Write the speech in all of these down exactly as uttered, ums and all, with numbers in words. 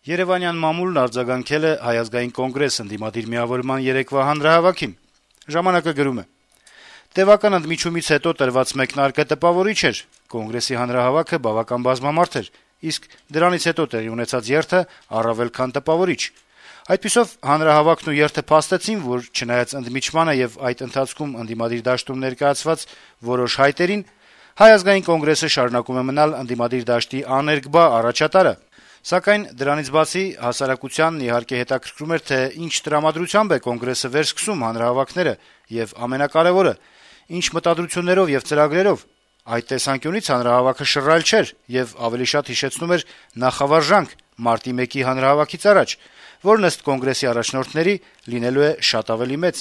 Երեւանյան մամուլն արձագանքել է Հայ ազգային կոնգրես ընդդիմադիր միավորման երեկվա հանրահավաքին։ «Ժամանակ»-ը գրում է. - «Տեւական ընդմիջումից հետո տրված մեկնարկը տպավորիչ էր. Կոնգրեսի հանրահավաքը բավական բազմամարդ էր, իսկ դրանից հետո տեղի ունեցած երթը առավել քան տպավորիչ։ Այդպիսով հանրահավաքն ու երթը փաստեցին, որ չնայած ընդմիջմանը եւ այդ ընթացքում ընդդիմադիր դաշտում ներկայացված որոշ հայտերին, Հայ ազգային կոնգրեսը շարունակում է մնալ ընդդիմադիր դաշտի աներկբա առաջատարը։ Սակայն դրանից բացի հասարակությանն իհարկե հետաքրքրում էր, թե ինչ տրամադրությամբ է կոնգրեսը վերսկսում հանրահավաքները եւ ամենակարեւորը, ինչ մտադրություններով եւ ծրագրերով։ Այդ տեսանկյունից հանրահավաքը շռայլ չէր եւ ավելի շատ հիշեցնում էր նախավարժանք մարտի մեկի հանրահավաքից առաջ, որն ըստ կոնգրեսի առաջնորդների լինելու է շատ ավելի մեծ»։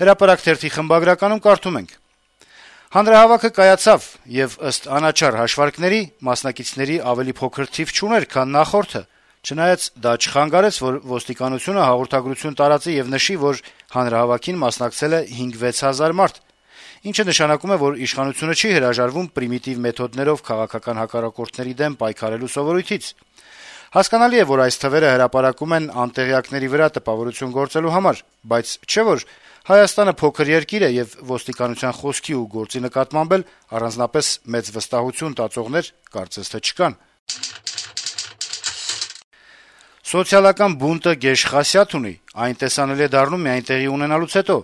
«Հրապարակ» թերթի խմբագրականում կարդում ենք. - «Հանրահավաքը կայացավ եւ ըստ անաչառ հաշվարկների մասնակիցների ավելի փոքր թիվ չուներ, քան նախորդը, չնայած դա չխանգարեց, որ ոստիկանությունը հաղորդագրություն տարածի եւ նշի, որ հանրահավաքին մասնակցել է հինգ-վեց հազար մարդ, ինչը նշանակում է, որ իշխանությունը չի հրաժարվում պրիմիտիվ մեթոդներով քաղաքական հակառակորդների դեմ պայքարելու սովորույթից։ Հասկանալի է, որ այս թվերը հրապարակում են անտեղյակների վրա տպավորություն գործելու համար, բայց չէ՞ որ Հայաստանը փոքր երկիր է եւ ոստիկանության խոսքի ու գործի նկատմամբ էլ առանձնապես մեծ վստահություն տածողներ կարծես թե չկան»։ Սոցիալական բունտը գեշ խասյաթ ունի, այն տեսանելի է դառնում միայն տեղի ունենալուց հետո։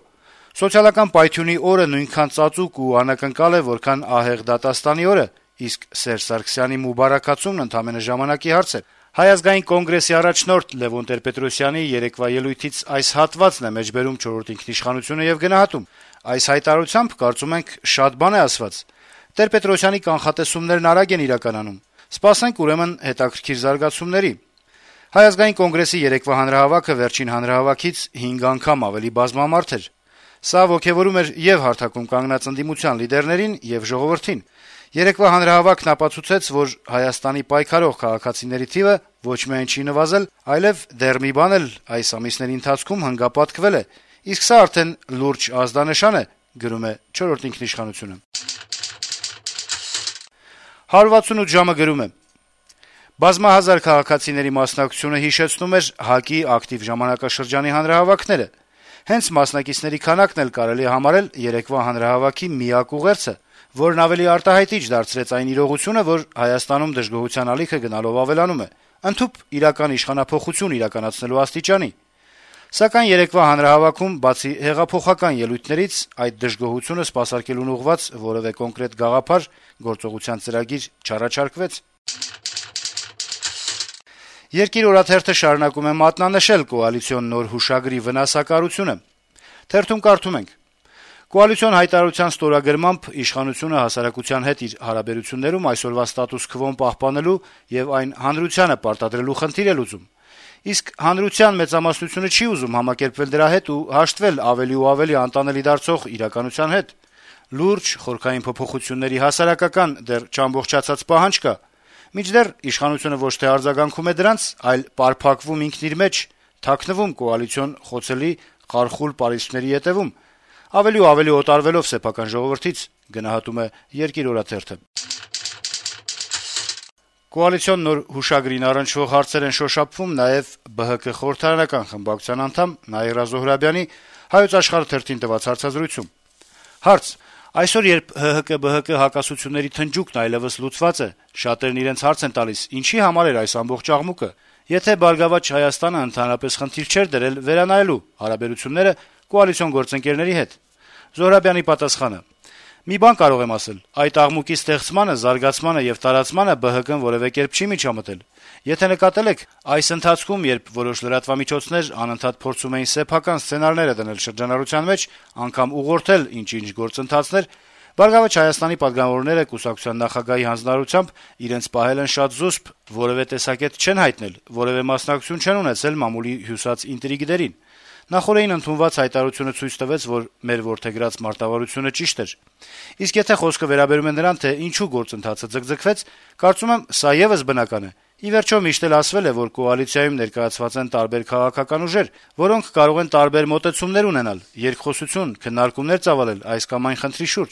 Սոցիալական պայթյունի օրը նույնքան ծածուկ ու անակնկալ է, որքան ահեղ դատաստանի օրը, իսկ Սերժ Սարգսյանի մուբարաքացումն ընդամենը ժամանակի հարց է։ Հայ ազգային կոնգրեսի առաջնորդ Լեւոն Տեր-Պետրոսյանի երեկվա ելույթից այս հատվածն է մեջբերում «Չորրորդ ինքնիշխանությունը» եւ գնահատում։ Այս հայտարարությամբ, կարծում ենք, շատ բան է ասված։ Տեր-Պետրոսյանի կանխատեսումներն արագ են իրականանում։ Սպասենք ուրեմն հետաքրքիր զարգացումների։ Հայ ազգային կոնգրեսի երեկվա հանրահավաքը վերջին հանրահավաքից հինգ անգամ ավելի բազմամարդ էր։ Սա ոգեւորում էր եւ հարթակում կանգնած ընդդիմության լիդերներին եւ ժողովրդին։ Երեկվա հանրահավաքն ապացուցեց, որ Հայաստանի պայքարող քաղաքացիների թիվը ոչ միայն չի նվազել, այլև դեռ մի բան էլ այս ամիսների ընթացքում հանգապատկվել է, իսկ սա արդեն լուրջ ազդանշան է, գրում է «Չորրորդ ինքնիշխանությունը»։ հարյուր վաթսունութ ժամը գրում է. - «Բազմահազար քաղաքացիների մասնակցությունը հիշեցնում էր ՀԱԿ-ի ակտիվ ժամանակաշրջանի հանրահավաքները։ Հենց մասնակիցների քանակն էլ կարելի է համարել երեկվա հանրահավաքի միակ ուղերձը, որն ավելի արտահայտիչ դարձրեց այն իրողությունը, որ Հայաստանում դժգոհության ալիքը գնալով ավելանում է, ընդհուպ իրական իշխանափոխություն իրականացնելու աստիճանի։ Սակայն երեկվա հանրահավաքում, բացի հեղափոխական ելույթներից, այդ դժգոհությունը սպասարկելուն ուղղված որեւէ կոնկրետ գաղափար, գործողության ծրագիր չառաջարկվեց»։ «Երկիր» օրաթերթը շարունակում է մատնանշել կոալիցիոն նոր հուշագրի վնասակարությունը։ Թերթում կարդում ենք. - «Կոալիցիոն հայտարարության ստորագրմամբ իշխանությունը հասարակության հետ իր հարաբերություններում այսօրվա ստատուս քվոն պահպանելու եւ այն հանրությանը պարտադրելու խնդիր է լուծում։ Իսկ հանրության մեծամասնությունը չի ուզում համակերպվել դրա հետ ու հաշտվել ավելի ու ավելի անտանելի դարձող իրականության հետ։ Լուրջ խորքային փոփոխությունների հասարակական դեռ չամբողջացած պահանջ կա։ Մինչդեռ իշխանությունը ոչ թե արձագանքում է դրանց, այլ պարփակվում ինքն իր մեջ, թաքնվում կոալիցիոն խոցելի խարխուլ պարիսպների ետեւում, ավելի ու ավելի օտարվելով սեփական ժողովրդից», գնահատում է «Երկիր» օրաթերթը։ Կոալիցիոն նոր հուշագրին առնչվող հարցեր են շոշափվում նաեւ Բը Հը Կը խորհրդարանական խմբակցության անդամ Նաիրա Զոհրաբյանի «Հայոց Աշխարհ» թերթին տված հարցազրույցում։ Հարց. - «Այսօր, երբ Հը Հը Կը-Բը Հը Կը հակասությունների թնջուկն այլեւս լուծված է, շատերն իրենց հարց են տալիս՝ ինչի համար էր այս ամբողջ աղմուկը։ Եթե «Բարգավաճ Հայաստանը» ընդհանրապես խնդիր չէր դրել վերանայելու հարաբերությունները կոալիցիոն գործընկերների հետ»։ Զոհրաբյանի պատասխանը. - «Մի բան կարող եմ ասել. այդ աղմուկի ստեղծմանը, զարգացմանը եւ տարածմանը Բը Հը Կը-ն որեւէ կերպ չի միջամտել։ Եթե նկատել եք, այս ընթացքում, երբ որոշ լրատվամիջոցներ անընդհատ փորձում էին սեփական սցենարները դնել շրջանառության մեջ, անգամ ուղղորդել ինչ-ինչ գործընթացներ, «Բարգավաճ Հայաստանի» պատգամավորները կուսակցության նախագահի հանձնարարությամբ իրենց պահել են շատ զուսպ, որեւէ տեսակետ չեն հայտնել, որեւէ մասնակցություն չեն ունեցել մամուլի հյուսած ինտրիգներին։ Նախօրեին ընդունված հայտարարությունը ցույց տվեց, որ մեր որդեգրած մարտավարությունը ճիշտ էր։ Իսկ եթե խոսքը վերաբերում է նրան, թե ինչու գործընթացը ձգձգվեց, կարծում եմ, սա եւս բնական է։ Ի վերջո միշտ էլ ասվել է, որ կոալիցիայում ներկայացված են տարբեր քաղաքական ուժեր, որոնք կարող են տարբեր մոտեցումներ ունենալ, երկխոսություն, քննարկումներ ծավալել այս կամ այն խնդրի շուրջ։